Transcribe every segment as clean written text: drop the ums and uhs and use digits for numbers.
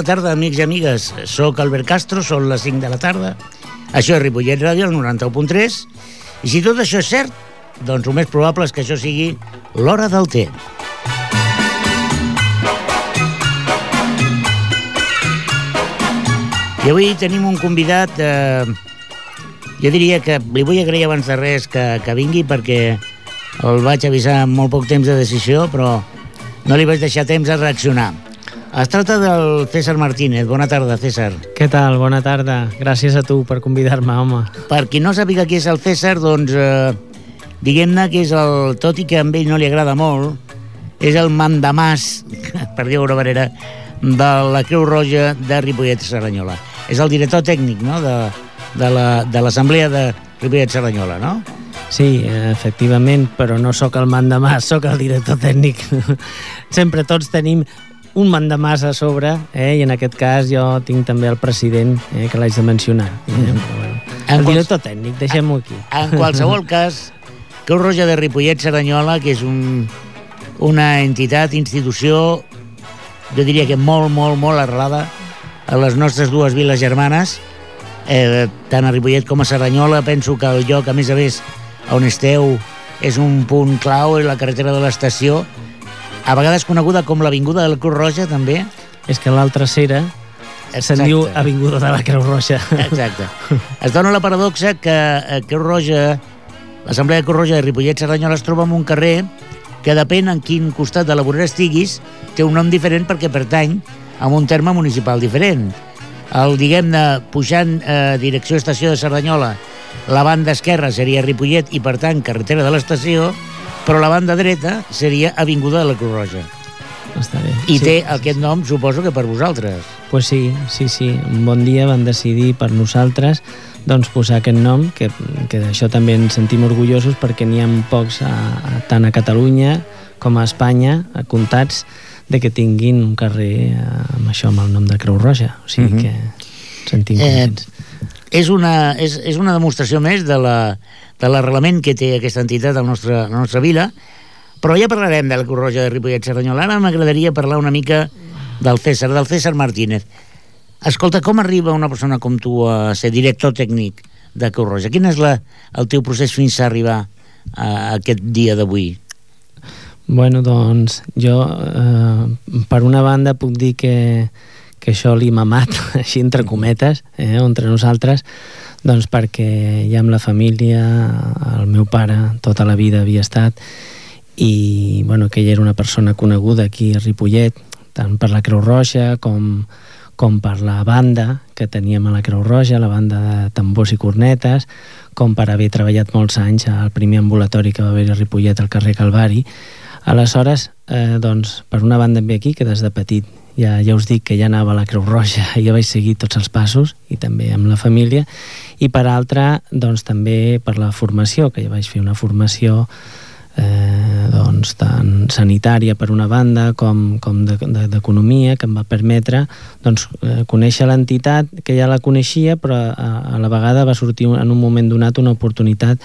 Bona tarda, amics i amigues. Soc Albert Castro, són les 5 de la tarda. Això és Ripollet Ràdio, el 91.3. I si tot això és cert, doncs el més probable és que això sigui l'hora del té. I avui tenim un convidat, jo diria que li vull agrair abans de res que vingui, perquè el vaig avisar amb molt poc temps de decisió, però no li vaig deixar temps a reaccionar. Es tracta del César Martínez. Bona tarda, César. Què tal? Bona tarda. Gràcies a tu per convidar-me, home. Per qui no sàpiga qui és el César, doncs diguem-ne que és el... Tot i que a ell no li agrada molt, és el mandamàs, per dir-ho d'una manera, de la Creu Roja de Ripollet Cerdanyola. És el director tècnic, no?, de l'Assemblea de Ripollet Cerdanyola, no? Sí, efectivament, però no sóc el mandamàs, sóc el director tècnic. Sempre tots tenim un mandamàs a sobre, i en aquest cas jo tinc també el president, que l'haig de mencionar. El director tècnic, deixem-ho aquí. En qualsevol cas, Creu Roja de Ripollet Cerdanyola, que és una entitat, institució, jo diria que molt, molt, molt arrelada a les nostres dues viles germanes, tant a Ripollet com a Cerdanyola. Penso que el lloc, a més, on esteu, és un punt clau, és la carretera de l'estació, a vegades coneguda com l'Avinguda de la Creu Roja, també. És que l'altra cera se'n diu Avinguda de la Creu Roja. Exacte. Es dona la paradoxa que Creu Roja, l'Assemblea de Creu Roja de Ripollet Cerdanyola, es troba en un carrer que depèn en quin costat de la vorera estiguis, té un nom diferent perquè pertany a un terme municipal diferent. Diguem-ne, pujant direcció estació de Cerdanyola, la banda esquerra seria Ripollet i, per tant, carretera de l'estació, però la banda dreta seria Avinguda de la Creu Roja. Està bé. I té aquest nom, suposo que per vosaltres. Pues sí. Un bon dia van decidir per nosaltres doncs posar aquest nom, que d'això també ens sentim orgullosos, perquè n'hi ha pocs tant a Catalunya com a Espanya, comptats, de que tinguin un carrer amb això, amb el nom de Creu Roja. O sigui que ens sentim contents. És una demostració més de l'arrelament que té aquesta entitat a la nostra vila, però ja parlarem de la Creu Roja de Ripollet Cerdanyola. Ara m'agradaria parlar una mica del César Martínez. Escolta, com arriba una persona com tu a ser director tècnic de Creu Roja? Quin és el teu procés fins a arribar a aquest dia d'avui? Bueno, doncs jo, per una banda, puc dir que això l'he mamat, així entre cometes, entre nosaltres, doncs perquè ja amb la família, el meu pare tota la vida havia estat, i bueno, que ella era una persona coneguda aquí a Ripollet, tant per la Creu Roja com per la banda que teníem a la Creu Roja, la banda de tambors i cornetes, com per haver treballat molts anys al primer ambulatori que va haver a Ripollet al carrer Calvari. Aleshores, doncs, per una banda em ve aquí, que des de petit ja us dic que ja anava a la Creu Roja i ja vaig seguir tots els passos, i també amb la família, i per altra, doncs també per la formació, que ja vaig fer una formació doncs tant sanitària per una banda com d'economia, que em va permetre doncs conèixer l'entitat, que ja la coneixia, però a la vegada va sortir en un moment donat una oportunitat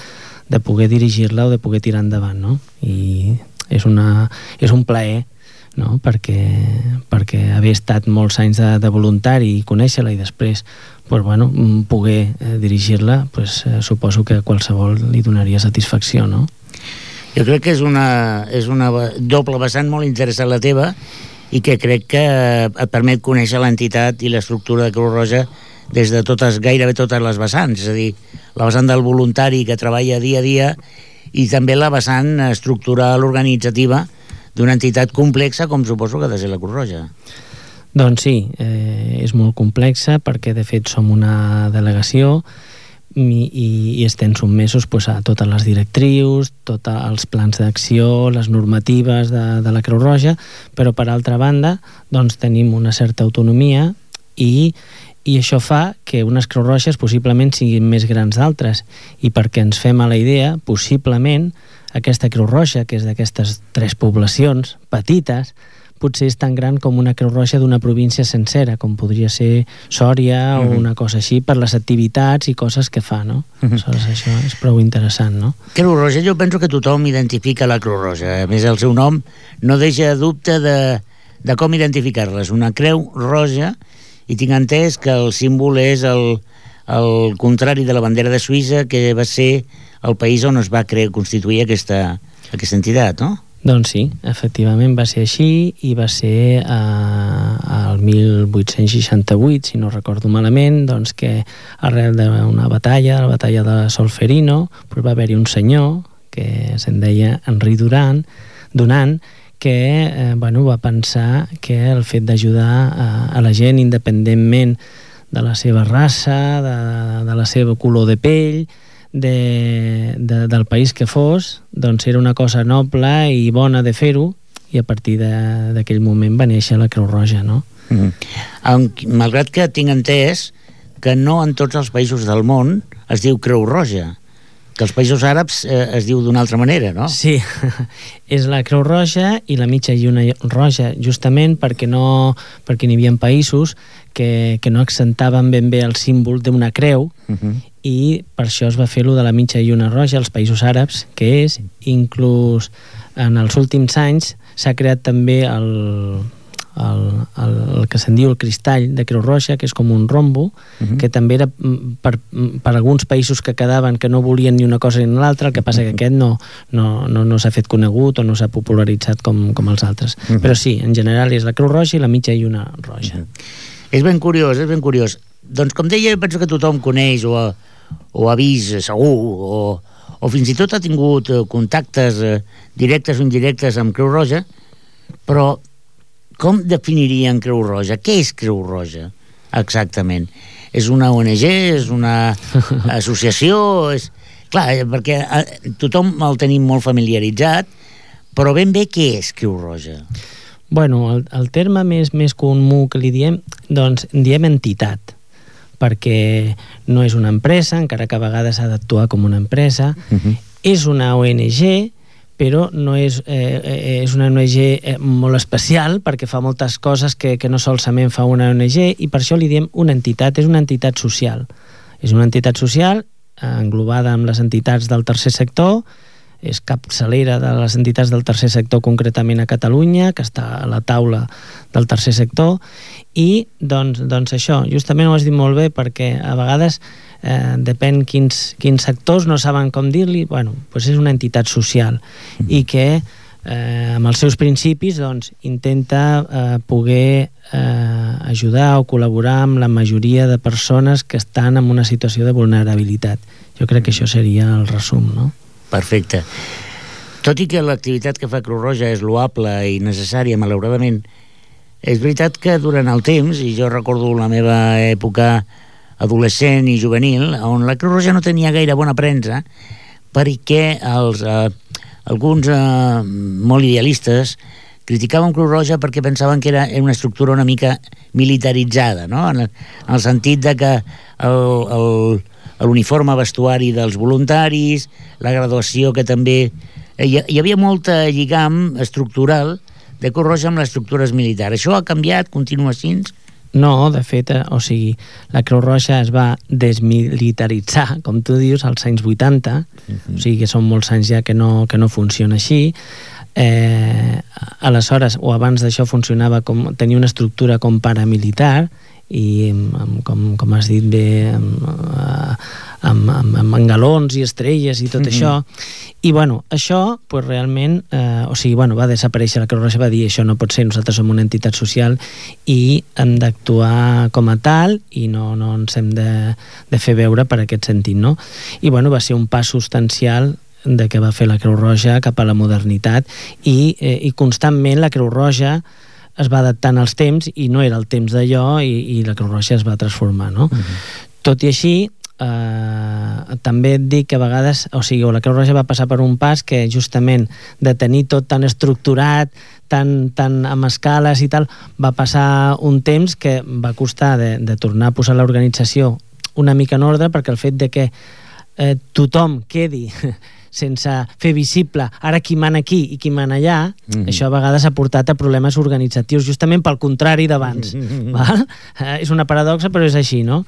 de poder dirigir-la o de poder tirar endavant, no? I és un plaer, no? perquè haver estat molts anys de voluntari i conèixer-la i després poder dirigir-la, suposo que a qualsevol li donaria satisfacció, no? Jo crec que és una doble vessant molt interessant la teva, i que crec que et permet conèixer l'entitat i l'estructura de Creu Roja des de gairebé totes les vessants, és a dir, la vessant del voluntari que treballa dia a dia, i també la vessant estructural organitzativa d'una entitat complexa com suposo que ha de ser la Creu Roja. Doncs sí, és molt complexa, perquè de fet som una delegació i estem sotmesos a totes les directrius, tots els plans d'acció, les normatives de la Creu Roja, però per altra banda doncs tenim una certa autonomia, i això fa que unes Creu Roges possiblement siguin més grans d'altres, i perquè ens fem a la idea, possiblement aquesta Creu Roja, que és d'aquestes 3 poblacions petites, potser és tan gran com una Creu Roja d'una província sencera, com podria ser Sòria o una cosa així, per les activitats i coses que fa, no? Aleshores, això és prou interessant, no? Creu Roja, jo penso que tothom identifica la Creu Roja. A més, el seu nom no deixa dubte de de com identificar-les. Una creu roja, i tinc entès que el símbol és el contrari de la bandera de Suïssa, que va ser el país on es va constituir aquesta entitat, no? Doncs sí, efectivament va ser així, i va ser el 1868, si no recordo malament, doncs que arrel d'una batalla, la batalla de Solferino, doncs va haver-hi un senyor que se'n deia Henri Dunant, que va pensar que el fet d'ajudar a la gent independentment de la seva raça, de la seva color de pell, del país que fos, doncs era una cosa noble i bona de fer-ho, i a partir d'aquell moment va néixer la Creu Roja, no? Malgrat que tinc entès que no en tots els països del món es diu Creu Roja, que als països àrabs es diu d'una altra manera, no? Sí, és la Creu Roja i la mitja lluna roja, justament perquè n'hi havia països que no accentaven ben bé el símbol d'una creu, i per això es va fer-lo de la mitja lluna roja als països àrabs, que és, inclús en els últims anys, s'ha creat també el que se'n diu el cristall de Creu Roja, que és com un rombo, que també era per alguns països que quedaven que no volien ni una cosa ni l'altra, el que passa que aquest no s'ha fet conegut o no s'ha popularitzat com els altres. Però sí, en general és la Creu Roja i la mitja lluna roja. És ben curiós, és ben curiós. Doncs com deia, penso que tothom coneix o ha vist segur, o fins i tot ha tingut contactes directes o indirectes amb Creu Roja, però com definirien Creu Roja? Què és Creu Roja, exactament? És una ONG? És una associació? Clar, perquè tothom el tenim molt familiaritzat, però ben bé què és Creu Roja? Bueno, el terme més comú que li diem, doncs diem entitat, perquè no és una empresa, encara que a vegades ha d'actuar com una empresa, és una ONG, però no és una ONG molt especial, perquè fa moltes coses que no solament fa una ONG, i per això li diem una entitat, és una entitat social. És una entitat social englobada amb les entitats del tercer sector, és capçalera de les entitats del tercer sector concretament a Catalunya, que està a la taula del tercer sector, i doncs això, justament ho has dit molt bé, perquè a vegades depèn quins sectors no saben com dir-li, bueno, doncs és una entitat social, i que amb els seus principis doncs intenta poder ajudar o col·laborar amb la majoria de persones que estan en una situació de vulnerabilitat. Jo crec que això seria el resum, no? Perfecte. Tot i que l'activitat que fa Creu Roja és loable i necessària, malauradament, és veritat que durant el temps, i jo recordo la meva època adolescent i juvenil, on la Creu Roja no tenia gaire bona premsa, perquè alguns molt idealistes criticaven Creu Roja perquè pensaven que era una estructura una mica militaritzada, no? En el sentit de que l'uniforme vestuari dels voluntaris, la graduació que també... Hi havia molta lligam estructural de Creu Roja amb les estructures militars. Això ha canviat? Continua així? No, de fet, la Creu Roja es va desmilitaritzar, com tu dius, als anys 80, o sigui que són molts anys ja que no funciona així. Aleshores, o abans d'això, tenia una estructura com paramilitar, i com has dit bé, amb galons i estrelles i tot això, i bueno, això pues, realment va desaparèixer. La Creu Roja va dir això no pot ser, nosaltres som una entitat social i hem d'actuar com a tal i no ens hem de fer veure per aquest sentit, no? I bueno, va ser un pas substancial de què va fer la Creu Roja cap a la modernitat, i constantment la Creu Roja es va adaptant als temps, i no era el temps d'allò, i la Creu Roja es va transformar, no? Tot i així, també et dic que a vegades, la Creu Roja va passar per un pas que justament de tenir tot tan estructurat, tan amb escales i tal, va passar un temps que va costar de tornar a posar l'organització una mica en ordre, perquè el fet de que tothom quedi sense fer visible ara qui mana aquí i qui mana allà, això a vegades ha portat a problemes organitzatius, justament pel contrari d'abans. És una paradoxa, però és així, no?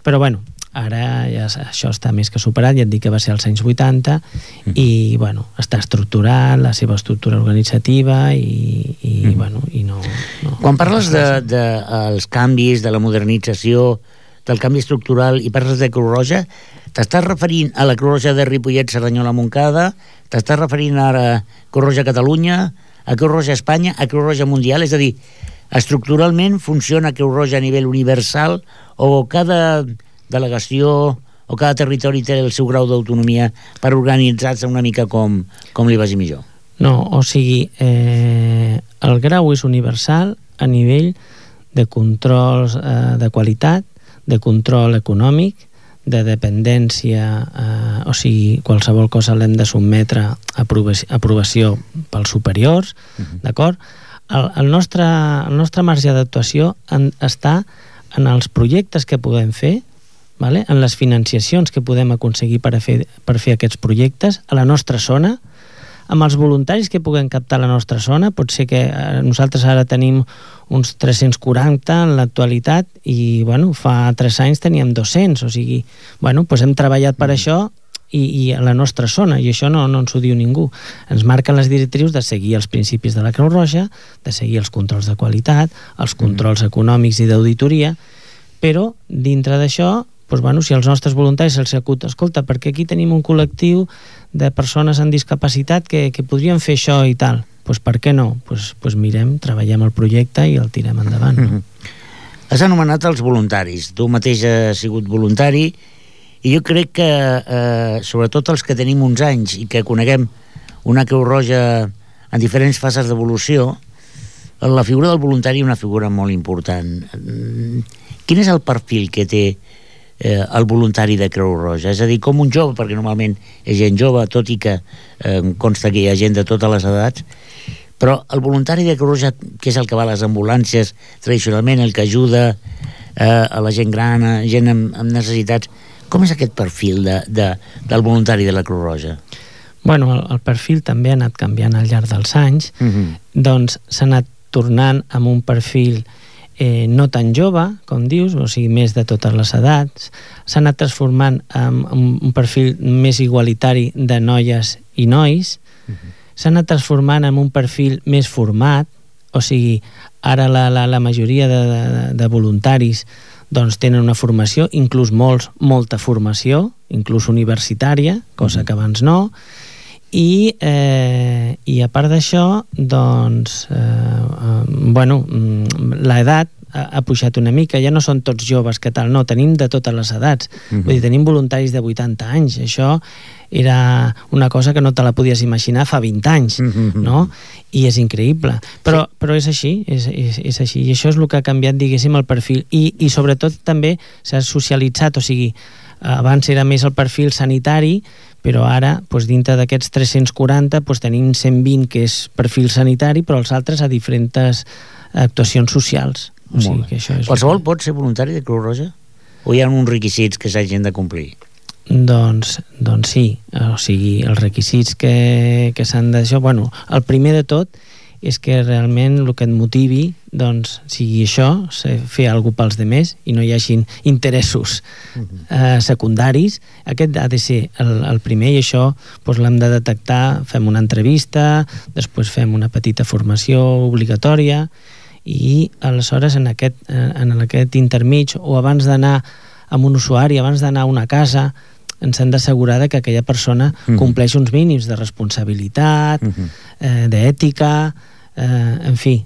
Però bueno, Ara ja això està més que superat, ja et dic que va ser als anys 80 i bueno, està estructurat, la seva estructura organitzativa i bueno, i no... Quan parles dels canvis, de la modernització, del canvi estructural i parles de Creu Roja, t'estàs referint a la Creu Roja de Ripollet, Cerdanyola, Montcada, t'estàs referint ara a Creu Roja Catalunya, a Creu Roja Espanya, a Creu Roja Mundial, és a dir, estructuralment funciona Creu Roja a nivell universal o cada delegació o cada territori té el seu grau d'autonomia per organitzar-se una mica com li vagi millor? No, o sigui, el grau és universal a nivell de controls de qualitat, de control econòmic, de dependència, o sigui, qualsevol cosa l'hem de sotmetre a aprovació pels superiors, d'acord? El nostre marge d'actuació està en els projectes que podem fer, vale? En les financiacions que podem aconseguir per fer aquests projectes a la nostra zona, amb els voluntaris que puguem captar a la nostra zona. Pot ser que nosaltres ara tenim uns 340 en l'actualitat i bueno, fa 3 anys teníem 200, o sigui, bueno, doncs hem treballat per això i a la nostra zona, i això no ens ho diu ningú. Ens marquen les directrius de seguir els principis de la Creu Roja, de seguir els controls de qualitat, els controls econòmics i d'auditoria, però dintre d'això, doncs, bueno, si als nostres voluntaris se'ls acut, escolta, perquè aquí tenim un col·lectiu de persones amb discapacitat que podrien fer això i tal, doncs per què no? Doncs mirem, treballem el projecte i el tirem endavant. No? Has anomenat els voluntaris, tu mateix has sigut voluntari i jo crec que sobretot els que tenim uns anys i que coneguem una Creu Roja en diferents fases d'evolució, la figura del voluntari és una figura molt important. Quin és el perfil que té el voluntari de Creu Roja? És a dir, com un jove, perquè normalment és gent jove, tot i que consta que hi ha gent de totes les edats, però el voluntari de Creu Roja, que és el que va a les ambulàncies tradicionalment, el que ajuda a la gent gran, a gent amb necessitats, com és aquest perfil del voluntari de la Creu Roja? Bueno, el perfil també ha anat canviant al llarg dels anys, doncs s'ha anat tornant amb un perfil no tan jove, com dius, o sigui, més de totes les edats, s'ha anat transformant en un perfil més igualitari de noies i nois, s'ha anat transformant en un perfil més format, o sigui, ara la majoria de voluntaris doncs tenen una formació, inclús molta formació, inclús universitària, cosa que abans no, i a part d'això, doncs, bueno, l'edat ha pujat una mica, ja no són tots joves que tal, no, tenim de totes les edats, vull dir, tenim voluntaris de 80 anys, això era una cosa que no te la podies imaginar fa 20 anys, no? I és increïble, però és així, és així, i això és el que ha canviat, diguéssim, el perfil, i sobretot també s'ha socialitzat, o sigui, abans era més el perfil sanitari, però ara, doncs, dintre d'aquests 340, doncs, tenim 120 que és perfil sanitari, però els altres a diferents actuacions socials. O sigui, que això és... Qualsevol pot ser voluntari de Creu Roja? O hi ha uns requisits que s'hagin de complir? Doncs sí, o sigui, els requisits que s'han d'això... Bueno, el primer de tot és que realment el que et motivi doncs sigui això, fer alguna cosa pels demés i no hi hagin interessos secundaris. Aquest ha de ser el primer, i això doncs, l'hem de detectar, fem una entrevista, després fem una petita formació obligatòria i aleshores en aquest intermig o abans d'anar amb un usuari, abans d'anar a una casa, ens hem d'assegurar que aquella persona compleix uns mínims de responsabilitat, d'ètica, en fi,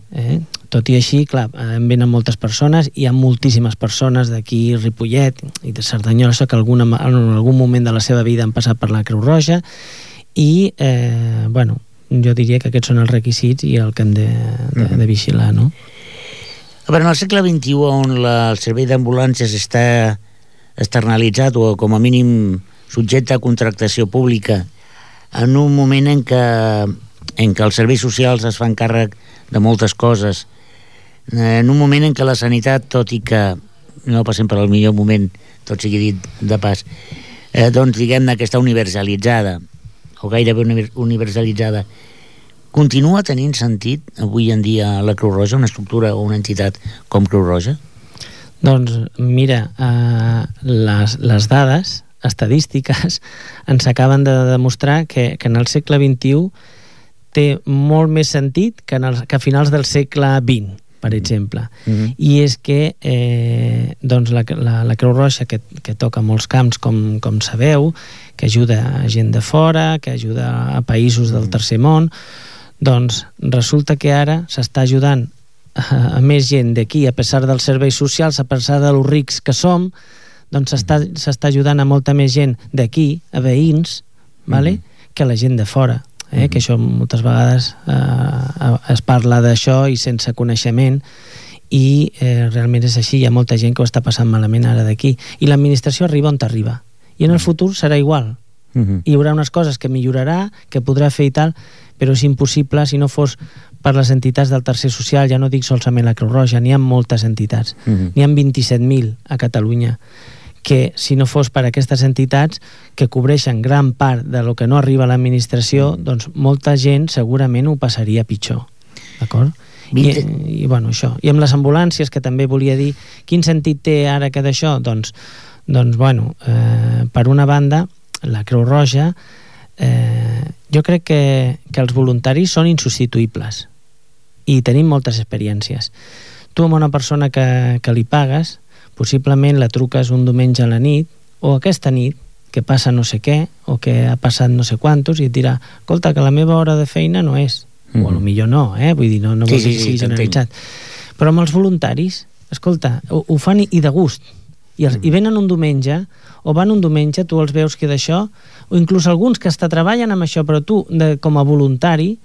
tot i així, clar, en venen moltes persones, hi ha moltíssimes persones d'aquí, Ripollet i de Cerdanyola, que en algun moment de la seva vida han passat per la Creu Roja i, bueno, jo diria que aquests són els requisits i el que hem de vigilar, no? A veure, en el segle XXI, on el servei d'ambulàncies està externalitzat o com a mínim subjecte a contractació pública, en un moment en què els serveis socials es fan càrrec de moltes coses, en un moment en què la sanitat, tot i que no passem per el millor moment, tot sigui dit de pas, doncs diguem-ne que està universalitzada, o gairebé universalitzada, continua tenint sentit avui en dia la Creu Roja, una estructura o una entitat com Creu Roja? Doncs mira, les dades estadístiques ens acaben de demostrar que en el segle XXI té molt més sentit que a finals del segle XX, per exemple. I és que doncs la Creu Roja, que toca molts camps, com sabeu, que ajuda a gent de fora, que ajuda a països del tercer món, doncs resulta que ara s'està ajudant a més gent d'aquí, a pesar dels serveis socials, a pesar de lo rics que som, doncs s'està ajudant a molta més gent d'aquí, a veïns, vale? Que la gent de fora. Que això moltes vegades es parla d'això i sense coneixement, i realment és així. Hi ha molta gent que ho està passant malament ara d'aquí, i l'administració arriba on t'arriba, i en el futur serà igual. Hi haurà unes coses que millorarà, que podrà fer i tal, però és impossible si no fos per les entitats del tercer social. Ja no dic solament la Creu Roja, n'hi ha moltes entitats, n'hi ha 27.000 a Catalunya, que si no fos per aquestes entitats que cobreixen gran part de lo que no arriba a l'administració, doncs molta gent segurament ho passaria pitjor, d'acord? I bueno, això. I amb les ambulàncies, que també volia dir, quin sentit té ara que d'això? Doncs bueno, per una banda, la Creu Roja, jo crec que els voluntaris són insubstituïbles i tenim moltes experiències. Tu amb una persona que li pagues, possiblement la truques un diumenge a la nit, o aquesta nit, que passa no sé què, o que ha passat no sé quantos, i et dirà, escolta, que la meva hora de feina no és. O potser no, vull dir, no vol dir que sigui generalitzat. Però amb els voluntaris, escolta, ho fan i de gust. I venen un diumenge, o van un diumenge, tu els veus que d'això, o inclús alguns que hasta treballen amb això, però tu, com a voluntari,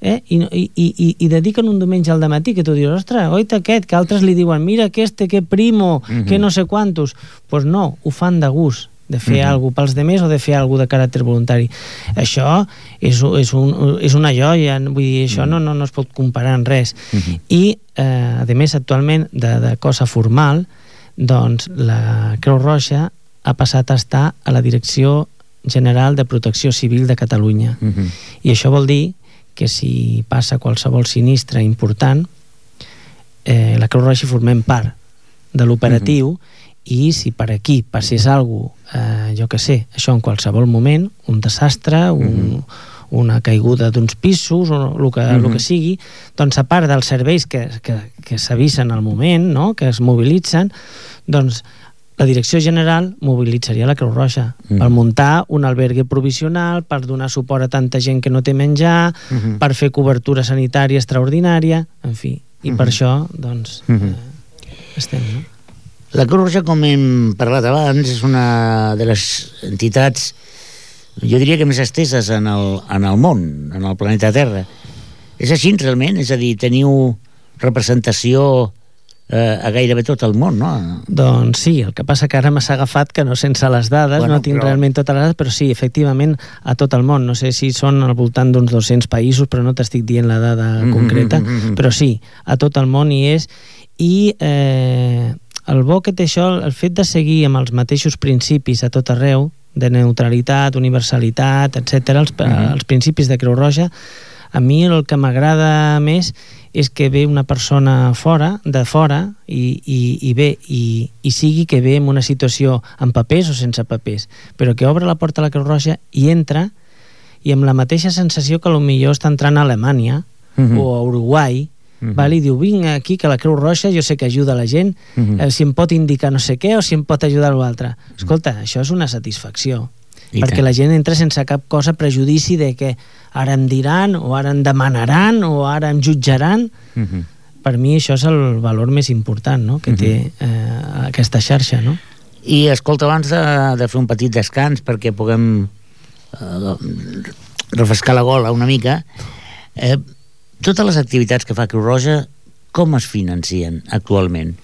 i dediquen un diumenge al dematí, que tu dius, ostres, oita aquest, que altres li diuen, mira que primo, que no sé quantos. Doncs no, ho fan de gust, de fer alguna cosa pels demés o de fer alguna cosa de caràcter voluntari. Això és una joia, vull dir, això no es pot comparar en res. I, a més, actualment, de cosa formal, doncs la Creu Roja ha passat a estar a la Direcció General de Protecció Civil de Catalunya. I això vol dir que si passa qualsevol sinistre important, la Creu Roja formem part de l'operatiu, i si per aquí passés alguna cosa, jo què sé, això en qualsevol moment, un desastre, una caiguda d'uns pisos, o el que sigui, doncs a part dels serveis que s'avisen al moment, no?, que es mobilitzen, doncs la Direcció General mobilitzaria la Creu Roja per muntar un albergue provisional, per donar suport a tanta gent que no té menjar, per fer cobertura sanitària extraordinària, en fi. I per això, doncs, estem, no? La Creu Roja, com hem parlat abans, és una de les entitats, jo diria que més esteses en el món, en el planeta Terra. És així, realment? És a dir, teniu representació a gairebé tot el món, no? Doncs sí, el que passa que ara m'has agafat que no sense les dades, no tinc realment totes les dades, però sí, efectivament, a tot el món. No sé si són al voltant d'uns 200 països, però no t'estic dient la dada concreta, però sí, a tot el món hi és. I el bo que té això, el fet de seguir amb els mateixos principis a tot arreu, de neutralitat, universalitat, etc., els principis de Creu Roja, a mi el que m'agrada més és que ve una persona de fora i sigui que ve en una situació amb papers o sense papers, però que obre la porta a la Creu Roja i entra, i amb la mateixa sensació que potser està entrant a Alemanya o a Uruguai, i diu, vinc aquí que la Creu Roja jo sé que ajuda la gent, si em pot indicar no sé què o si em pot ajudar a l'altre. Escolta, això és una satisfacció, perquè la gent entra sense cap cosa prejudici de que ara em diran, o ara em demanaran, o ara em jutjaran. Per mi això és el valor més important, no?, que té aquesta xarxa, no? I escolta, abans de fer un petit descans perquè puguem refrescar la gola una mica, totes les activitats que fa Creu Roja, com es financien actualment?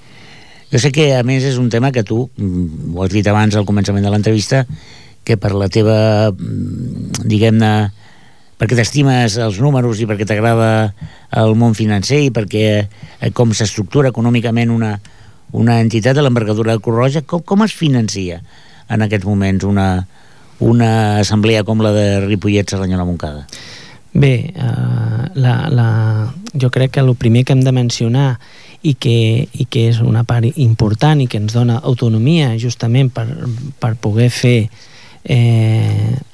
Jo sé que, a més, és un tema que tu, ho has dit abans al començament de l'entrevista, que per la teva, diguem-ne, perquè t'estimes els números i perquè t'agrada el món financer i perquè com s'estructura econòmicament una entitat de l'envergadura de Creu Roja, com es financia en aquests moments una assemblea com la de Ripollet, Cerdanyola, Montcada? Bé, jo crec que el primer que hem de mencionar i que és una part important i que ens dona autonomia justament per poder fer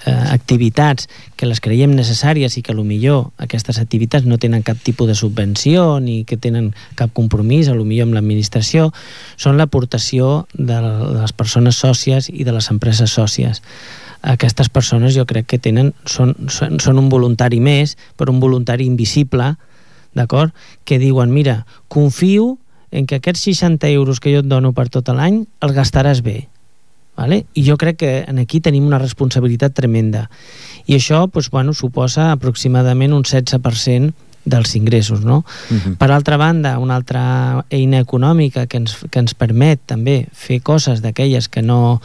activitats que les creiem necessàries i que potser aquestes activitats no tenen cap tipus de subvenció ni que tenen cap compromís potser amb l'administració, són l'aportació de les persones sòcies i de les empreses sòcies. Aquestes persones jo crec que són un voluntari més, però un voluntari invisible, d'acord? Que diuen, mira, confio en que aquests 60 euros que jo et dono per tot l'any els gastaràs bé. Vale? I jo crec que aquí tenim una responsabilitat tremenda. I això suposa aproximadament un 16% dels ingressos, no? Per altra banda, una altra eina econòmica que ens permet també fer coses d'aquelles que no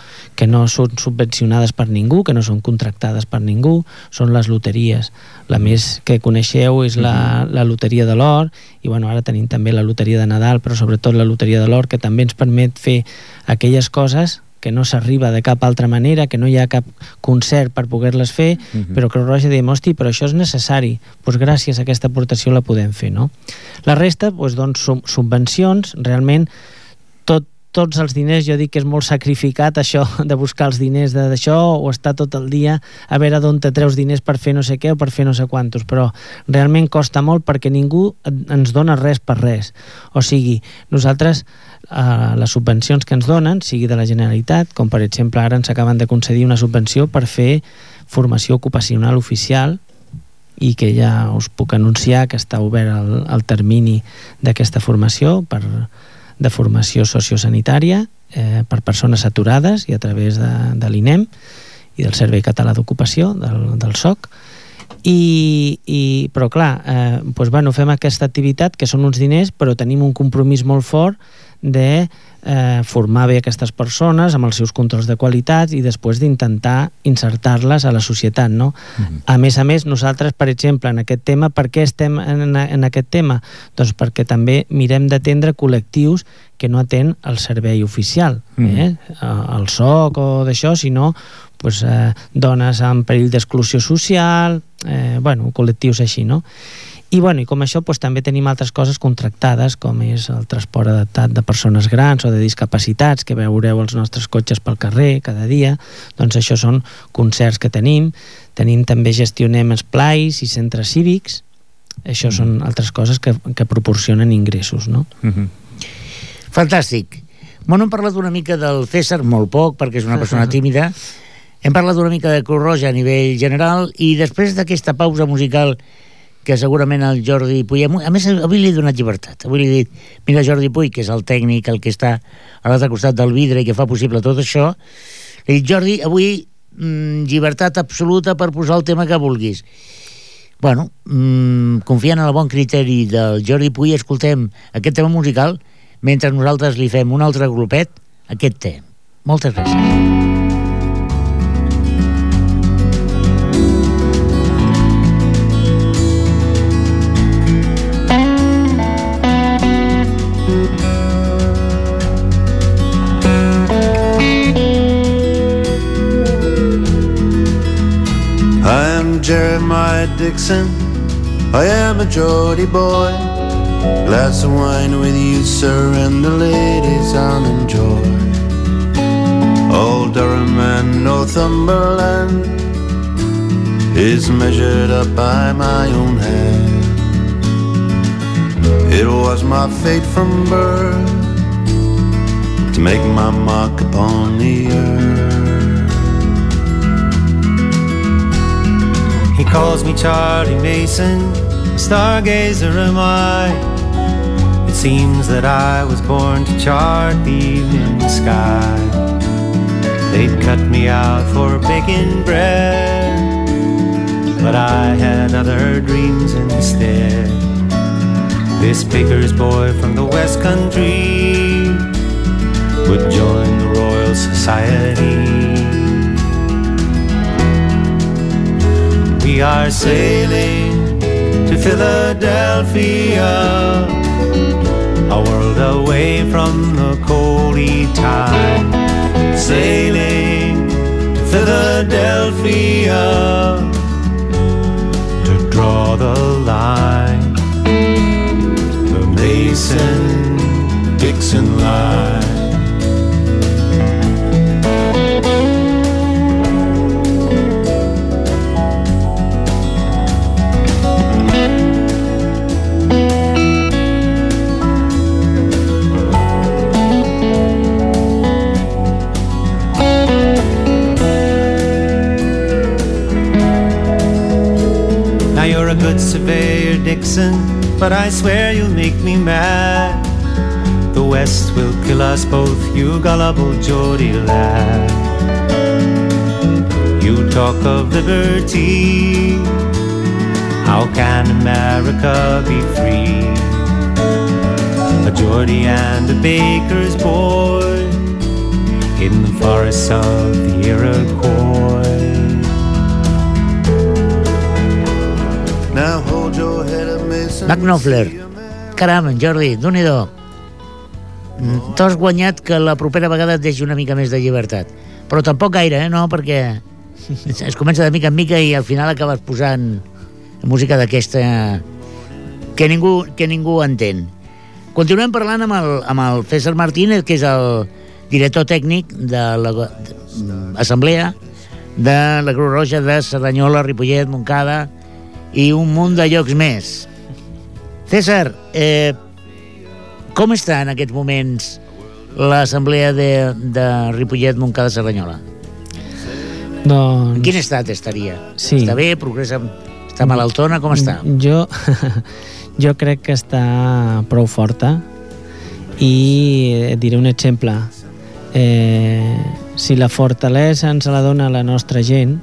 són subvencionades per ningú, que no són contractades per ningú, són les loteries. La més que coneixeu és la loteria de l'or, i ara tenim també la loteria de Nadal, però sobretot la loteria de l'or, que també ens permet fer aquelles coses que no s'arriba de cap altra manera, que no hi ha cap concert per poder-les fer, però Creu Roja diem, hosti, però això és necessari, doncs gràcies a aquesta aportació la podem fer, no? La resta, doncs, subvencions, realment, tots els diners, jo dic que és molt sacrificat això de buscar els diners d'això o estar tot el dia a veure d'on te treus diners per fer no sé què o per fer no sé quantos, però realment costa molt perquè ningú ens dona res per res. O sigui, nosaltres les subvencions que ens donen, sigui de la Generalitat, com per exemple ara ens acaben de concedir una subvenció per fer formació ocupacional oficial i que ja us puc anunciar que està obert el termini d'aquesta formació de formació sociosanitària per persones aturades i a través de l'INEM i del Servei Català d'Ocupació, del SOC. Però clar, fem aquesta activitat que són uns diners, però tenim un compromís molt fort de formar bé aquestes persones amb els seus controls de qualitat i després d'intentar insertar-les a la societat, no? A més, nosaltres, per exemple, en aquest tema, per què estem en aquest tema? Doncs perquè també mirem d'atendre col·lectius que no atén el servei oficial, el SOC o d'això, sinó dones en perill d'exclusió social, col·lectius així, no? I com això també tenim altres coses contractades, com és el transport adaptat de persones grans o de discapacitats, que veureu els nostres cotxes pel carrer cada dia. Doncs això són concerts que tenim també gestionem esplais i centres cívics. Això són altres coses que proporcionen ingressos, no? Fantàstic. Hem parlat una mica del César, molt poc, perquè és una persona tímida. Hem parlat una mica de Creu Roja a nivell general i després d'aquesta pausa musical que segurament el Jordi Puy... A més, avui li he donat llibertat. Avui li he dit, mira, Jordi Puy, que és el tècnic, el que està a l'altre costat del vidre i que fa possible tot això, li he dit, Jordi, avui llibertat absoluta per posar el tema que vulguis. Confiant en el bon criteri del Jordi Puy, escoltem aquest tema musical mentre nosaltres li fem un altre grupet, aquest té. Moltes gràcies. Jeremiah Dixon, I am a Geordie boy. Glass of wine with you, sir, and the ladies I'll enjoy. Old Durham and Northumberland is measured up by my own hand. It was my fate from birth to make my mark upon the earth. He calls me Charlie Mason, a stargazer am I. It seems that I was born to chart the evening sky. They'd cut me out for baking bread, but I had other dreams instead. This baker's boy from the West Country would join the Royal Society. We are sailing to Philadelphia, a world away from the coldy tide. Sailing to Philadelphia to draw the line. The Mason Dixon line. Now you're a good surveyor, Dixon, but I swear you'll make me mad. The West will kill us both, you gullible Geordie lad. You talk of liberty, how can America be free? A Geordie and a baker's boy in the forests of the Iroquois. Now hold your head up, Mason. Mark Knopfler. Caram, Jordi, Déu-n'hi-do. T'has guanyat que la propera vegada et deixi una mica més de llibertat. Però tampoc gaire, no? Perquè es comença de mica en mica i al final acabes posant música d'aquesta que ningú entén. Continuem parlant amb el César Martínez, que és el director tècnic de l'Assemblea de la Creu Roja de Cerdanyola, Ripollet, Montcada i un munt de llocs més. César, com està en aquests moments l'assemblea de Ripollet, Montcada, Cerdanyola? Doncs... En quin estat estaria? Sí. Està bé? Progressa? Està malaltona? Com està? Jo crec que està prou forta i et diré un exemple. Si la fortalesa ens la dona la nostra gent,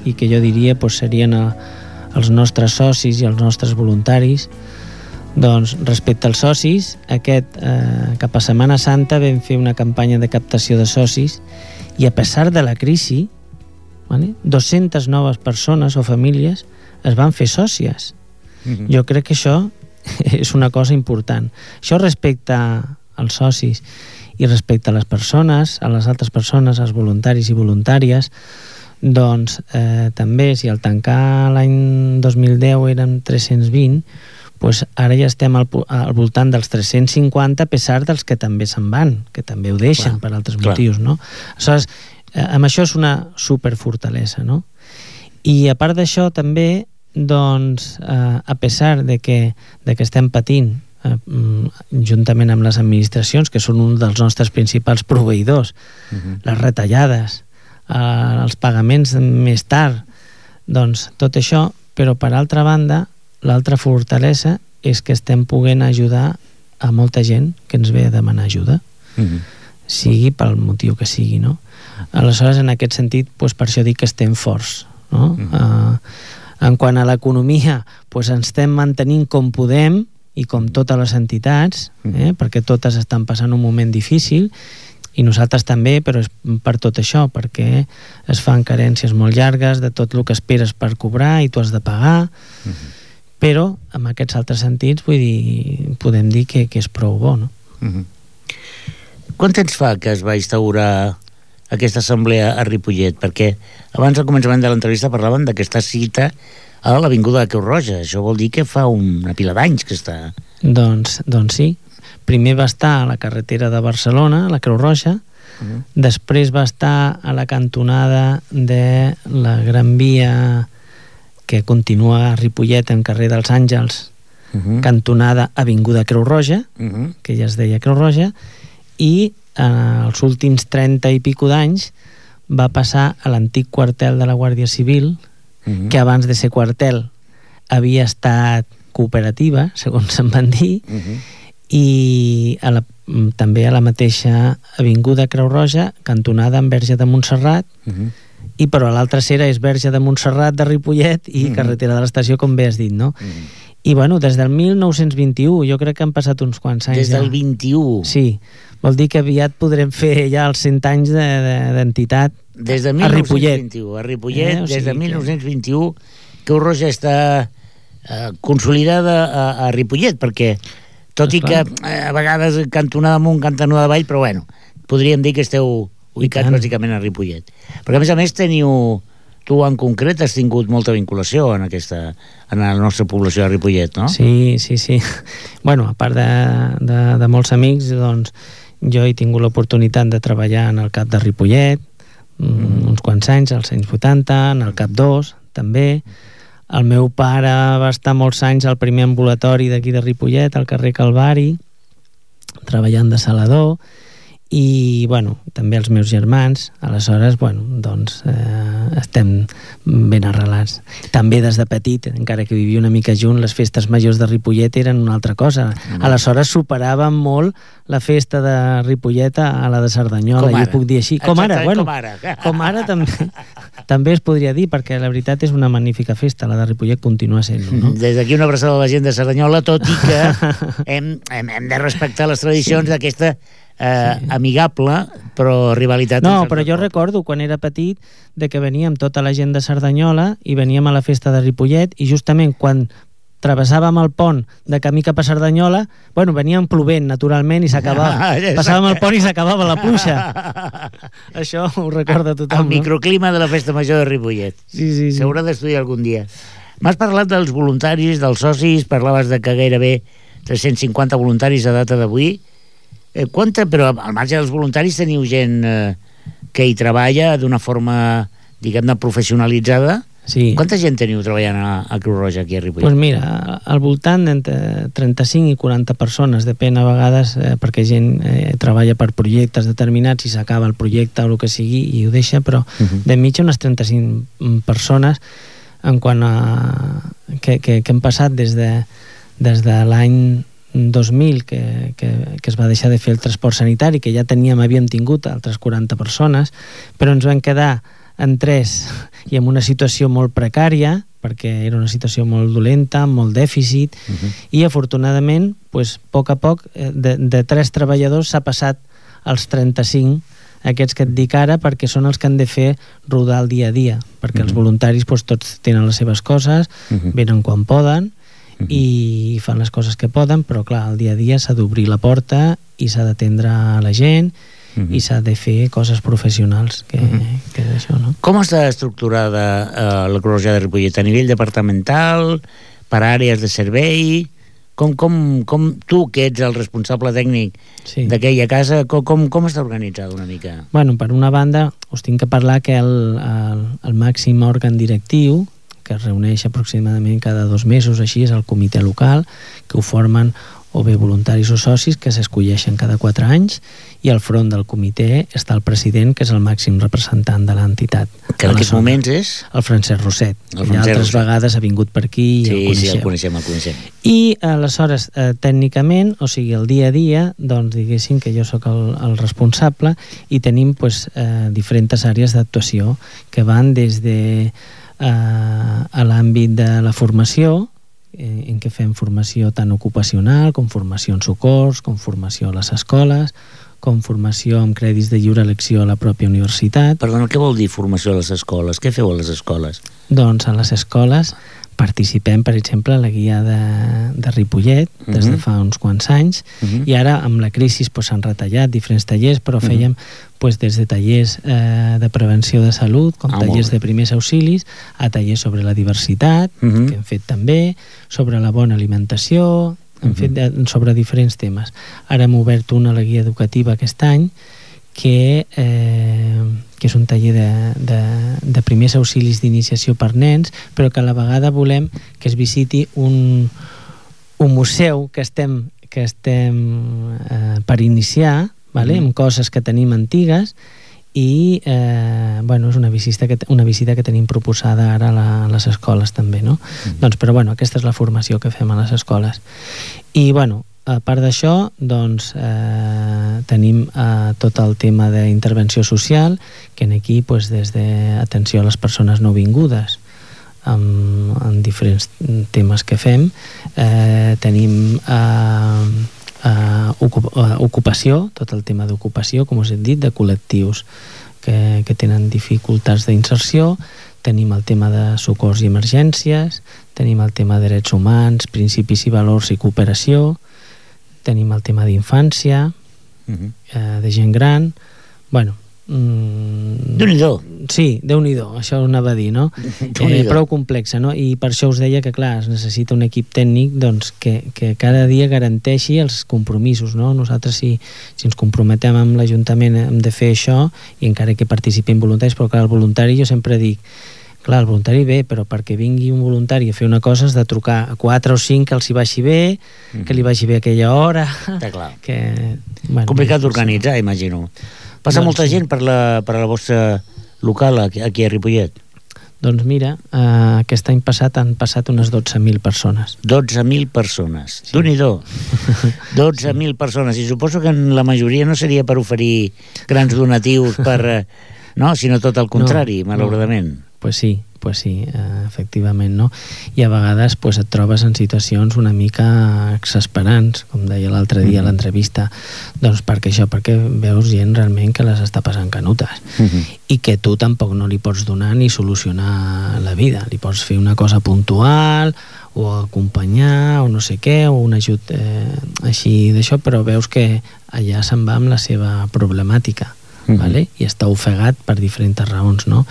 i que jo diria serien els nostres socis i els nostres voluntaris, doncs respecte als socis, cap a Setmana Santa vam fer una campanya de captació de socis i a pesar de la crisi, 200 noves persones o famílies es van fer sòcies. Jo crec que això és una cosa important. Això respecte als socis i respecte a les persones, a les altres persones, als voluntaris i voluntàries, doncs també si al tancar l'any 2010 eren 320, doncs ara ja estem al voltant dels 350 a pesar dels que també se'n van, que també ho deixen per altres motius, no? Aleshores, amb això és una superfortalesa, no? I a part d'això també, doncs, a pesar de que estem patint juntament amb les administracions, que són un dels nostres principals proveïdors, les retallades, els pagaments més tard, doncs tot això, però per altra banda, l'altra fortalesa és que estem poguent ajudar a molta gent que ens ve a demanar ajuda, sigui pel motiu que sigui, no? Aleshores, en aquest sentit, doncs per això dic que estem forts, no? En quant a l'economia, doncs ens estem mantenint com podem i com totes les entitats, perquè totes estan passant un moment difícil i nosaltres també, però és per tot això, perquè es fan carències molt llargues de tot el que esperes per cobrar i tu has de pagar, però en aquests altres sentits vull dir, podem dir que és prou bo, no? Quant temps fa que es va instaurar aquesta assemblea a Ripollet? Perquè abans al començament de l'entrevista parlaven d'aquesta cita a l'Avinguda de Creu Roja. Això vol dir que fa una pila d'anys que està... Doncs sí. Primer va estar a la carretera de Barcelona, a la Creu Roja, després va estar a la cantonada de la Gran Via que continua a Ripollet en carrer dels Àngels, cantonada Avinguda Creu Roja, que ja es deia Creu Roja, i els últims 30 i pico d'anys va passar a l'antic quartel de la Guàrdia Civil, que abans de ser quartel havia estat cooperativa, segons se'n van dir, i també a la mateixa Avinguda Creu Roja, cantonada amb Verge de Montserrat, i però a l'altra cera és Verge de Montserrat de Ripollet i carretera de l'estació, com bé has dit, no? I bueno, des del 1921, jo crec que han passat uns quants anys. Des del 21? Sí, vol dir que aviat podrem fer ja els 100 anys d'entitat des de 1921, a Ripollet, des de 1921, Creu Roja està consolidada a Ripollet, perquè tot i que a vegades cantonada amunt, cantonada avall, però bueno, podríem dir que esteu ubicats bàsicament a Ripollet. Perquè a més teniu tu en concret has tingut molta vinculació en la nostra població de Ripollet, no? Sí. Bueno, a part de molts amics, doncs, jo he tingut l'oportunitat de treballar en el CAP de Ripollet, uns quants anys, als anys 80, en el CAP 2, també. El meu pare va estar molts anys al primer ambulatori d'aquí de Ripollet, al carrer Calvari, treballant de salador, i, bueno, també els meus germans. Aleshores, bueno, doncs estem ben arrelats. També des de petit, encara que vivia una mica junt, les festes majors de Ripollet eren una altra cosa. Aleshores superàvem molt la festa de Ripollet a la de Cerdanyola, jo puc dir així. Com ara, bueno, com ara també es podria dir, perquè la veritat és una magnífica festa, la de Ripollet continua sent-ho, no? Des d'aquí una abraçada a la gent de Cerdanyola, tot i que hem de respectar les tradicions d'aquesta amigable, però rivalitat. No, però jo recordo quan era petit de que veníem tota la gent de Cerdanyola i veníem a la festa de Ripollet, i justament quan travessàvem el pont de camí cap a Cerdanyola, bueno, veníem plovent naturalment i s'acabava. Passàvem el pont i s'acabava la pluja. Això ho recorda tothom, el microclima de la festa major de Ripollet. Sí. S'haurà d'estudiar algun dia. M'has parlat dels voluntaris, dels socis, parlaves de que gairebé 350 voluntaris a data d'avui. Però al marge dels voluntaris teniu gent que hi treballa d'una forma, diguem-ne, professionalitzada? Sí. Quanta gent teniu treballant a Creu Roja aquí a Ripollet? Doncs mira, al voltant d'entre 35 i 40 persones, depèn a vegades, perquè gent treballa per projectes determinats i s'acaba el projecte o el que sigui i ho deixa, però de mitja unes 35 persones en quant a que hem passat des de l'any 2000 que es va deixar de fer el transport sanitari, que ja havíem tingut altres 40 persones, però ens vam quedar en 3 i en una situació molt precària, perquè era una situació molt dolenta, amb molt dèficit, i afortunadament, pues, a poc, de 3 treballadors s'ha passat als 35, aquests que et dic ara, perquè són els que han de fer rodar el dia a dia, perquè els voluntaris pues, tots tenen les seves coses, venen quan poden, i fan les coses que poden, però clar, el dia a dia s'ha d'obrir la porta i s'ha d'atendre a la gent i s'ha de fer coses professionals, que és això, no? Com està estructurada la Creu Roja de Ripollet? A nivell departamental, per àrees de servei? Com tu, que ets el responsable tècnic d'aquella casa, com està organitzada una mica? Bueno, per una banda, us tinc que parlar que el màxim òrgan directiu, que es reuneix aproximadament cada 2 mesos, així, és el comitè local, que ho formen o bé voluntaris o socis que s'escolleixen cada 4 anys, i al front del comitè està el president, que és el màxim representant de l'entitat. Que en aquests moments és? El Francesc Roset, que ja altres vegades ha vingut per aquí i el coneixem. el coneixem. I aleshores, tècnicament, o sigui, el dia a dia, doncs diguéssim que jo sóc el responsable, i tenim pues, diferents àrees d'actuació que van des de a l'àmbit de la formació, en què fem formació tant ocupacional com formació en socors, com formació a les escoles, com formació amb crèdits de lliure elecció a la pròpia universitat. Perdona, què vol dir formació a les escoles? Què feu a les escoles? Doncs a les escoles participem, per exemple, a la guia de Ripollet des de fa uns quants anys, i ara amb la crisi s'han retallat diferents tallers, però fèiem des de tallers de prevenció de salut, com tallers de primers auxilis, a tallers sobre la diversitat, que hem fet també, sobre la bona alimentació, hem fet sobre diferents temes. Ara hem obert una a la guia educativa aquest any, que és un taller de primers auxilis d'iniciació per nens, però que a la vegada volem que es visiti un museu que estem per iniciar, amb coses que tenim antigues, i és una visita que tenim proposada ara a les escoles també, no? Doncs, però aquesta és la formació que fem a les escoles. I a part d'això, doncs, tenim tot el tema d'intervenció social, que aquí, des d'atenció a les persones nouvingudes, en diferents temes que fem, tenim ocupació, tot el tema d'ocupació, com us he dit, de col·lectius que tenen dificultats d'inserció, tenim el tema de socors i emergències, tenim el tema de drets humans, principis i valors i cooperació, tenim el tema d'infància, de gent gran, Déu-n'hi-do. Sí, Déu-n'hi-do, això ho anava a dir, no? Prou complexa, no? I per això us deia que, clar, es necessita un equip tècnic doncs, que cada dia garanteixi els compromisos, no? Nosaltres, si ens comprometem amb l'Ajuntament hem de fer això, i encara que participin voluntaris, però clar, el voluntari jo sempre dic, clar, el voluntari bé, però perquè vingui un voluntari a fer una cosa has de trucar a 4 o 5 que els hi vagi bé, que li vagi bé aquella hora. Està clar. Bueno, complicat d'organitzar, imagino. Passa doncs, molta gent per la vostra local aquí a Ripollet? Doncs mira, aquest any passat han passat unes 12.000 persones. 12.000 persones. Sí. Déu-n'hi-do. 12.000 persones. I suposo que en la majoria no seria per oferir grans donatius no, sinó tot el contrari, malauradament. Pues sí, efectivament, no? I a vegades pues, et trobes en situacions una mica exasperants, com deia l'altre dia a l'entrevista, doncs perquè veus gent realment que les està passant canutes i que tu tampoc no li pots donar ni solucionar la vida, li pots fer una cosa puntual o acompanyar o no sé què, o un ajut així d'això, però veus que allà se'n va amb la seva problemàtica. Vale? I està ofegat per diferents raons, no?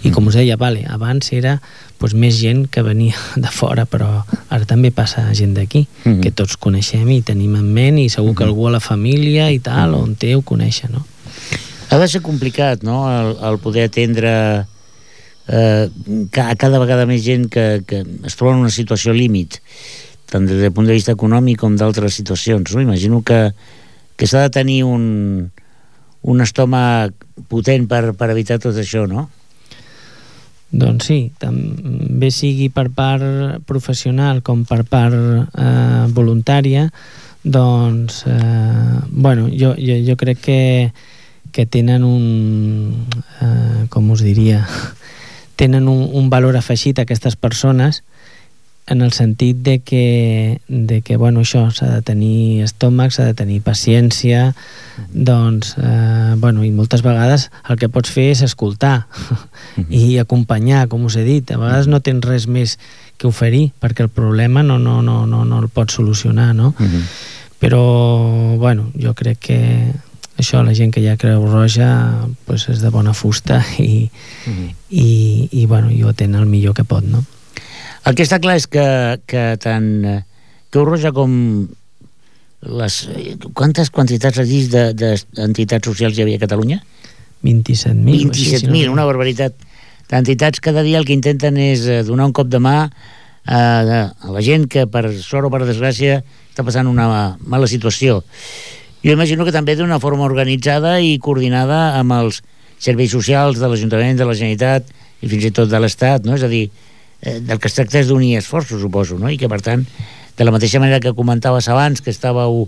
I com us deia, abans era pues, més gent que venia de fora, però ara també passa gent d'aquí, que tots coneixem i tenim en ment, i segur que algú a la família i tal, on té, ho coneix, no? Ha de ser complicat, no?, el poder atendre cada vegada més gent que es troba en una situació límit, tant des del punt de vista econòmic com d'altres situacions, no? Imagino que s'ha de tenir un estómac potent per evitar tot això, no? Doncs sí, també sigui per part professional com per part voluntària, doncs bueno, jo crec que tenen com us diria, tenen un valor afegit a aquestes persones, en el sentit de que bueno, això s'ha de tenir estómac, s'ha de tenir paciència, doncs bueno, i moltes vegades el que pots fer és escoltar i acompanyar, com us he dit. A vegades no tens res més que oferir perquè el problema no el pots solucionar, no? Però bueno, jo crec que això, la gent que hi ha Creu Roja pues és de bona fusta i bueno, i ho atén el millor que pot, no? El que està clar és que tant Creu Roja com quantes quantitats has dit d'entitats socials hi havia a Catalunya? 27.000. 27.000, una barbaritat d'entitats. Cada dia el que intenten és donar un cop de mà a la gent que per sort o per desgràcia està passant una mala situació. Jo imagino que també d'una forma organitzada i coordinada amb els serveis socials de l'Ajuntament, de la Generalitat i fins i tot de l'Estat, no? És a dir, del que es tracta és d'unir esforços, suposo, no? I que per tant, de la mateixa manera que comentaves abans, que estàveu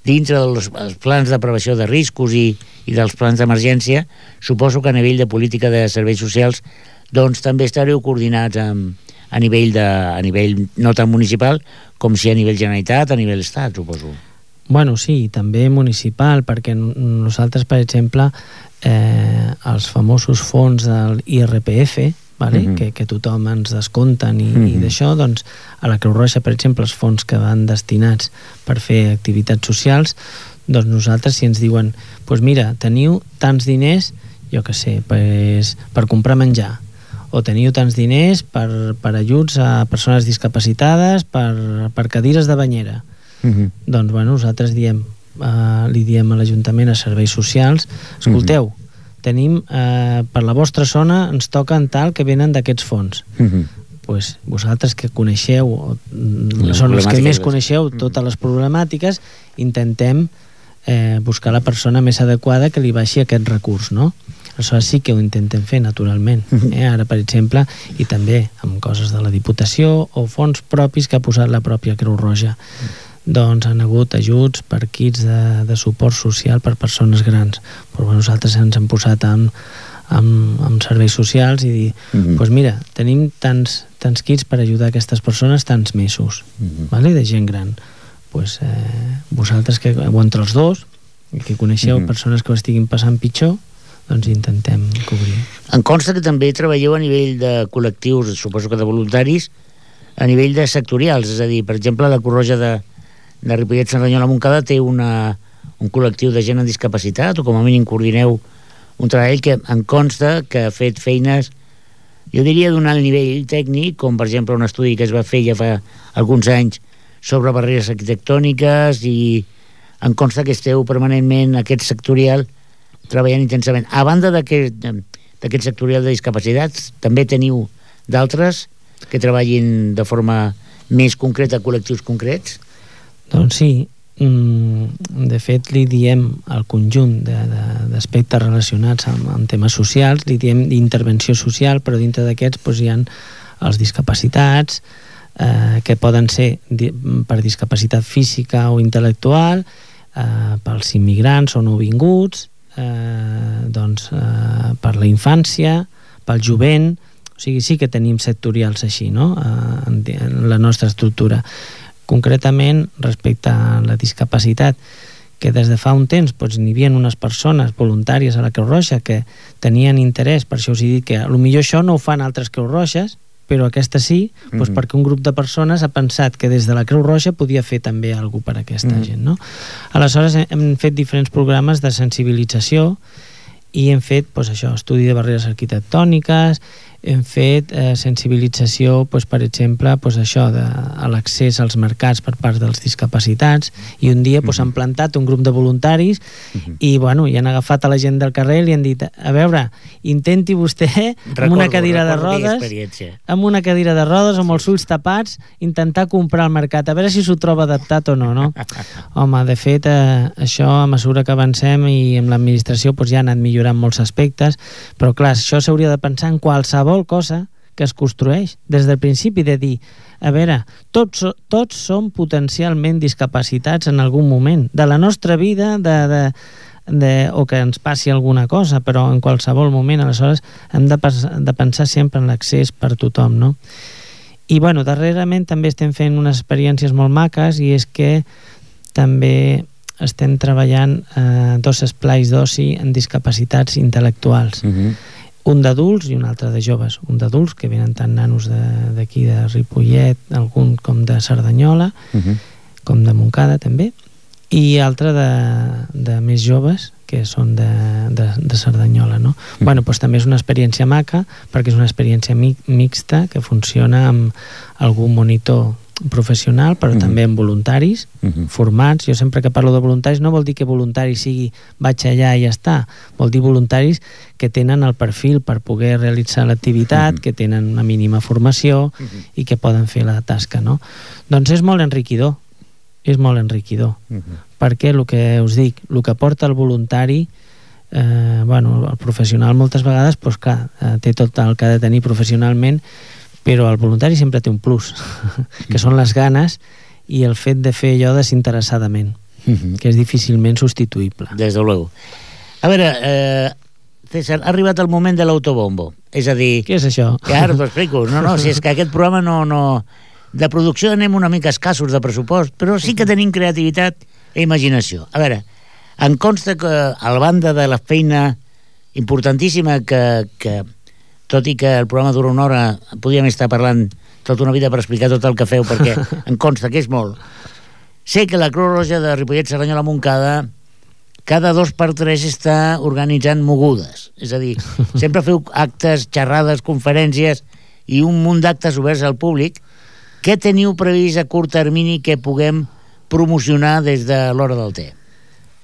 dintre dels plans de prevenció de riscos i dels plans d'emergència, suposo que a nivell de política de serveis socials doncs també estareu coordinats a nivell no tan municipal com si a nivell Generalitat, a nivell Estat, suposo. Bueno, sí, també municipal, perquè nosaltres, per exemple, els famosos fons del IRPF, vale? Que tothom ens descompten i d'això, doncs a la Creu Roja, per exemple, els fons que van destinats per fer activitats socials, doncs nosaltres, si ens diuen pues mira, teniu tants diners, jo què sé, per comprar menjar, o teniu tants diners per ajuts a persones discapacitades, per cadires de banyera, doncs bueno, nosaltres li diem a l'Ajuntament, a serveis socials, escolteu, tenim, per la vostra zona ens toquen tal que venen d'aquests fons. Pues vosaltres que coneixeu, són els que més coneixeu totes les problemàtiques, intentem buscar la persona més adequada que li baixi aquest recurs, no? Això sí que ho intentem fer, naturalment. Ara, per exemple, i també amb coses de la Diputació o fons propis que ha posat la pròpia Creu Roja. Doncs han hagut ajuts per kits de suport social per persones grans, però nosaltres ens hem posat amb serveis socials i dir, doncs mira, tenim tants kits per ajudar aquestes persones tants mesos, vale? De gent gran, doncs vosaltres que o entre els dos que coneixeu persones que ho estiguin passant pitjor, doncs intentem cobrir. Em consta que també treballeu a nivell de col·lectius, suposo que de voluntaris, a nivell de sectorials, és a dir, per exemple, la Creu Roja de Ripollet, Cerdanyola, Montcada té un col·lectiu de gent amb discapacitat, o com a mínim coordineu un treball que em consta que ha fet feines, jo diria d'un alt nivell tècnic, com per exemple un estudi que es va fer ja fa alguns anys sobre barreres arquitectòniques, i em consta que esteu permanentment, aquest sectorial, treballant intensament. A banda d'aquest sectorial de discapacitats, també teniu d'altres que treballin de forma més concreta a col·lectius concrets? Doncs sí, de fet li diem al conjunt d'aspectes relacionats amb temes socials, li diem d'intervenció social, però dintre d'aquests hi ha els discapacitats, que poden ser per discapacitat física o intel·lectual, pels immigrants o nouvinguts, per la infància, pel jovent. O sigui, sí que tenim sectorials així, no?, en la nostra estructura. Concretament, respecte a la discapacitat, que des de fa un temps n'hi havia unes persones voluntàries a la Creu Roja que tenien interès, per això us he dit que potser això no ho fan altres Creus Roges, però aquesta sí, perquè un grup de persones ha pensat que des de la Creu Roja podia fer també alguna cosa per a aquesta gent, no? Aleshores hem fet diferents programes de sensibilització i hem fet, això, estudi de barreres arquitectòniques, hem fet sensibilització, per exemple, això, a l'accés als mercats per part dels discapacitats, i un dia han plantat un grup de voluntaris i han agafat a la gent del carrer i li han dit, a veure, intenti vostè amb una cadira de rodes, amb els ulls tapats, intentar comprar al mercat, a veure si s'ho troba adaptat o no, no? Home, de fet, això a mesura que avancem i amb l'administració ja ha anat millorant molts aspectes, però clar, això s'hauria de pensar en qualsevol cosa que es construeix des del principi, de dir, a veure, tots som potencialment discapacitats en algun moment de la nostra vida, o que ens passi alguna cosa, però en qualsevol moment. Aleshores hem de pensar sempre en l'accés per tothom, no? I darrerament també estem fent unes experiències molt maques, i és que també estem treballant 2 esplais d'oci en discapacitats intel·lectuals, un d'adults i un altre de joves. Un d'adults, que venen tant nanos d'aquí de Ripollet, algun com de Cerdanyola, com de Montcada també, i altre de més joves, que són de Cerdanyola, no? També és una experiència maca, perquè és una experiència mixta que funciona amb algun monitor professional, però també amb voluntaris formats. Jo sempre que parlo de voluntaris no vol dir que voluntari sigui vaig allà i ja està, vol dir voluntaris que tenen el perfil per poder realitzar l'activitat, que tenen una mínima formació i que poden fer la tasca, no? Doncs és molt enriquidor, perquè el que us dic, el que porta el voluntari, el professional moltes vegades té tot el que ha de tenir professionalment, però el voluntari sempre té un plus, que són les ganes i el fet de fer allò desinteressadament, que és difícilment substituïble. Des de luego. A veure, César, ha arribat el moment de l'autobombo. És a dir... Què és això? Que ara t'ho explico. No, si és que aquest programa no... De producció anem una mica escassos de pressupost, però sí que tenim creativitat i imaginació. A veure, em consta que a la banda de la feina importantíssima que tot i que el programa dura una hora, podríem estar parlant tota una vida per explicar tot el que feu, perquè em consta que és molt. Sé que la Creu Roja de Ripollet, Cerdanyola, Montcada, cada 2 per 3 està organitzant mogudes. És a dir, sempre feu actes, xerrades, conferències i un munt d'actes oberts al públic. Què teniu previst a curt termini que puguem promocionar des de l'hora del té?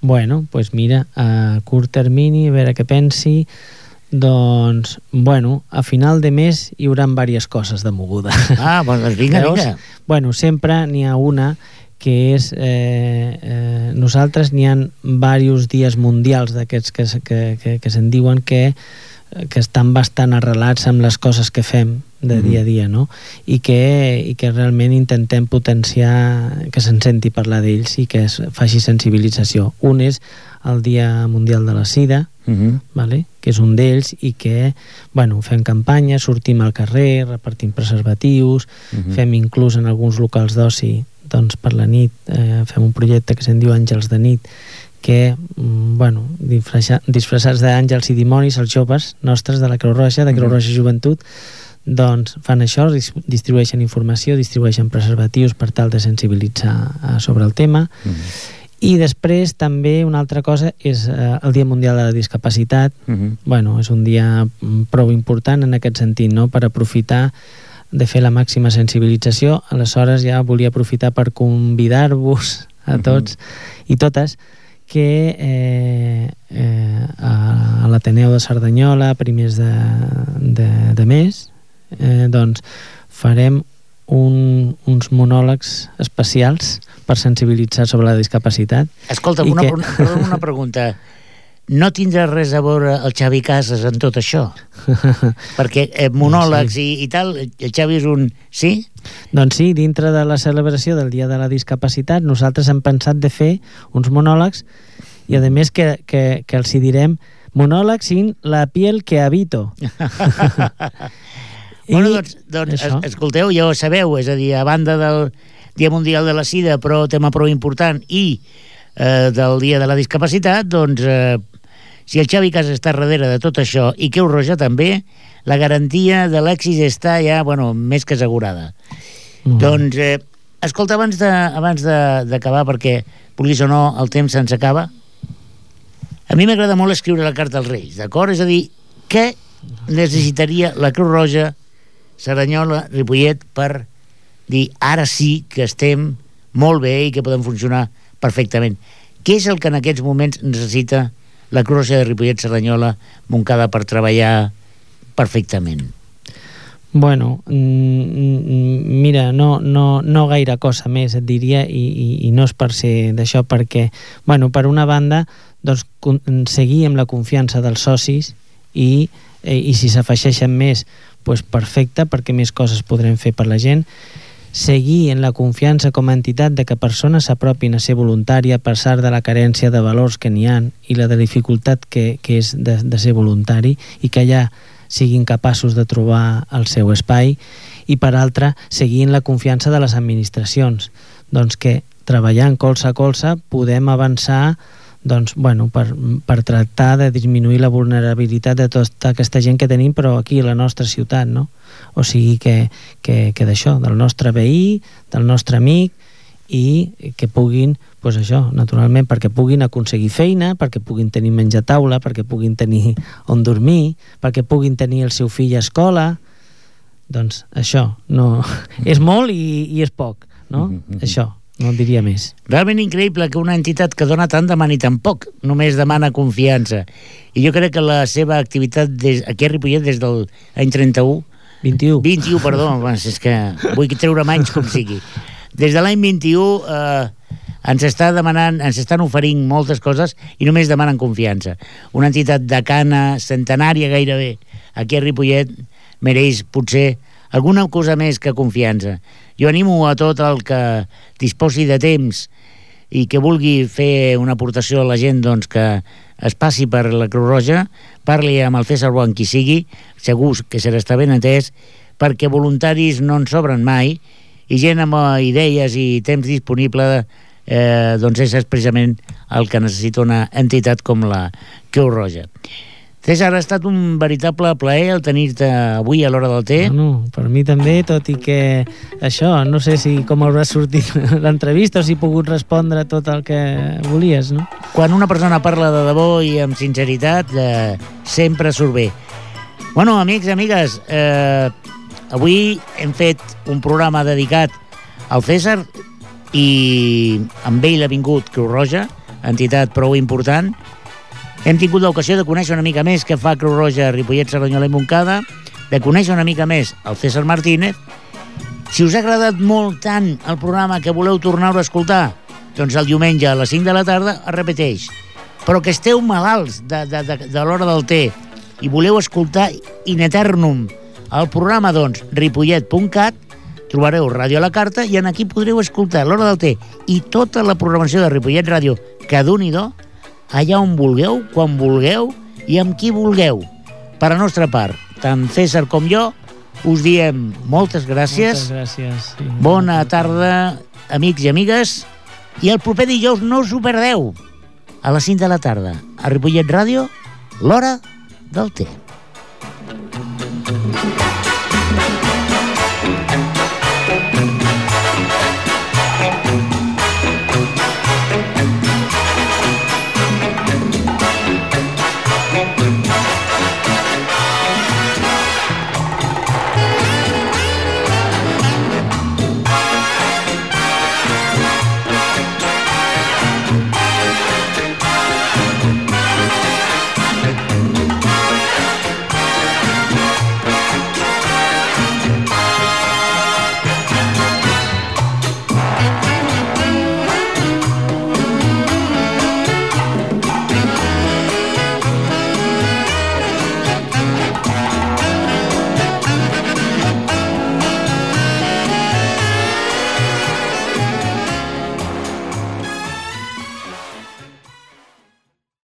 Mira, a curt termini, a veure què pensi. Doncs, a final de mes hi haurà diverses coses de moguda. Doncs vinga. Sempre n'hi ha una que és... nosaltres n'hi ha diversos dies mundials d'aquests que se'n diuen que estan bastant arrelats amb les coses que fem de dia a dia, no? I que realment intentem potenciar que se'n senti parlar d'ells i que es faci sensibilització. Un és el Dia Mundial de la Sida, que és un d'ells, i que fem campanya, sortim al carrer, repartim preservatius, fem inclús en alguns locals d'oci, doncs per la nit fem un projecte que se'n diu Àngels de nit, que, disfressats d'àngels i dimonis, els joves nostres de la Creu Roja, de Creu Roja Joventut, doncs fan això, distribueixen informació, distribueixen preservatius per tal de sensibilitzar sobre el tema. I després també una altra cosa és el Dia Mundial de la Discapacitat. Bueno, és un dia prou important en aquest sentit, no?, per aprofitar de fer la màxima sensibilització. Aleshores ja volia aprofitar per convidar-vos a tots i totes que a l'Ateneu de Cerdanyola, primers de mes, doncs farem uns monòlegs especials per sensibilitzar sobre la discapacitat. Escolta, una pregunta. No tindrà res a veure el Xavi Casas en tot això? Perquè monòlegs i tal, el Xavi és un... Sí? Doncs sí, dintre de la celebració del Dia de la Discapacitat nosaltres hem pensat de fer uns monòlegs i a més que els hi direm monòlegs sin la piel que habito. Bueno, doncs escolteu, ja ho sabeu, és a dir, a banda del Dia Mundial de la Sida, però tema prou important, i del Dia de la Discapacitat, doncs si el Xavi Casas està darrere de tot això i Creu Roja també, la garantia de l'èxit està ja, bueno, més que assegurada. Doncs, escolta, abans d'acabar, perquè vulguis o no, el temps se'ns acaba, a mi m'agrada molt escriure la carta als Reis, d'acord? És a dir, què necessitaria la Creu Roja, Cerdanyola, Ripollet, per dir ara sí que estem molt bé i que podem funcionar perfectament? Què és el que en aquests moments necessita la Creu Roja de Ripollet, Cerdanyola, Montcada per treballar perfectament? Bueno, mira, no gaire cosa més, et diria, i no és per ser d'això, perquè, bueno, per una banda, doncs, seguir amb la confiança dels socis i si s'afegeixen més, doncs perfecte, perquè més coses podrem fer per la gent. Seguir en la confiança com a entitat de que persones s'apropin a ser voluntària a pesar de la carència de valors que n'hi ha i la de dificultat que és de ser voluntari, i que allà siguin capaços de trobar el seu espai. I per altra, seguir en la confiança de les administracions, doncs que treballant colze a colze podem avançar, doncs, bueno, per tractar de disminuir la vulnerabilitat de tota aquesta gent que tenim, però aquí a la nostra ciutat, no? O sigui que d'això, del nostre veí, del nostre amic, i que puguin, doncs això, naturalment, perquè puguin aconseguir feina, perquè puguin tenir menjar a taula, perquè puguin tenir on dormir, perquè puguin tenir el seu fill a escola. Doncs això, no, és molt i és poc, no? Això. No en diria més. Realment increïble que una entitat que dona tant demani tan poc, només demana confiança. I jo crec que la seva activitat aquí a Ripollet des del any 21, perdó, és que vull treure menys com sigui. Des de l'any 21 ens estan oferint moltes coses i només demanen confiança. Una entitat de cana centenària gairebé aquí a Ripollet mereix potser alguna cosa més que confiança. Jo animo a tot el que disposi de temps i que vulgui fer una aportació a la gent, doncs que es passi per la Creu Roja, parli amb el César Bo, qui sigui, segur que serà estar ben atès, perquè voluntaris no en sobren mai, i gent amb idees i temps disponible doncs és precisament el que necessita una entitat com la Creu Roja. César, ha estat un veritable plaer el tenir-te avui a l'hora del té. Bueno, per mi també, tot i que això, no sé si com haurà sortit l'entrevista o si he pogut respondre tot el que volies, no? Quan una persona parla de debò i amb sinceritat, sempre surt bé. Bueno, amics i amigues, avui hem fet un programa dedicat al César i amb ell ha vingut Creu Roja, entitat prou important. Hem tingut l'ocasió de conèixer una mica més què fa Creu Roja a Ripollet, Cerdanyola i Montcada, de conèixer una mica més el César Martínez. Si us ha agradat molt tant el programa que voleu tornar-ho a escoltar, doncs el diumenge a les 5 de la tarda es repeteix. Però que esteu malalts de l'hora del té i voleu escoltar in eternum el programa, doncs, ripollet.cat, trobareu Ràdio a la Carta i en aquí podreu escoltar l'hora del té i tota la programació de Ripollet Ràdio, que d'un-i-do, allà on vulgueu, quan vulgueu i amb qui vulgueu. Per a nostra part, tant César com jo, us diem moltes gràcies. Moltes gràcies. Sí. Bona tarda, amics i amigues, i el proper dijous no us ho perdeu, a les 5 de la tarda, a Ripollet Ràdio, l'hora del té.